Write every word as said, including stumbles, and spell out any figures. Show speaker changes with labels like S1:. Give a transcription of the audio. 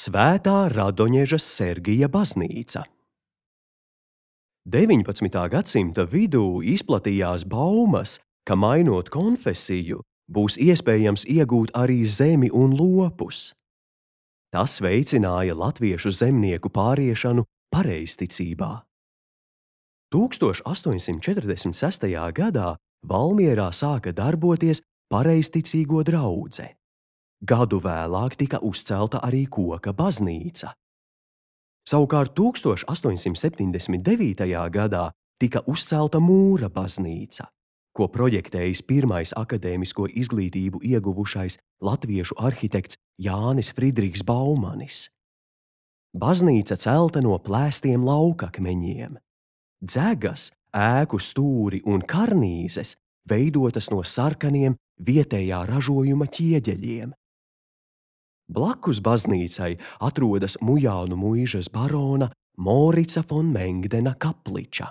S1: Svētā Radoņeža Sergija baznīca. deviņpadsmitā gadsimta vidū izplatījās baumas, ka mainot konfesiju, būs iespējams iegūt arī zemi un lopus. Tas veicināja latviešu zemnieku pāriešanu pareizticībā. tūkstoš astoņsimt četrdesmit sestajā gadā Valmierā sāka darboties pareizticīgo draudze. Gadu vēlāk tika uzcelta arī koka baznīca. Savukārt tūkstoš astoņsimt septiņdesmit devītajā gadā tika uzcelta mūra baznīca, ko projektējis pirmais akadēmisko izglītību ieguvušais latviešu arhitekts Jānis Fridriks Baumanis. Baznīca celta no plēstiem laukakmeņiem. Dzegas, ēku stūri un karnīzes veidotas no sarkaniem vietējā ražojuma ķieģeļiem. Blakus baznīcai atrodas Mujānu muižas barona Morica fon Mengdena kapliča.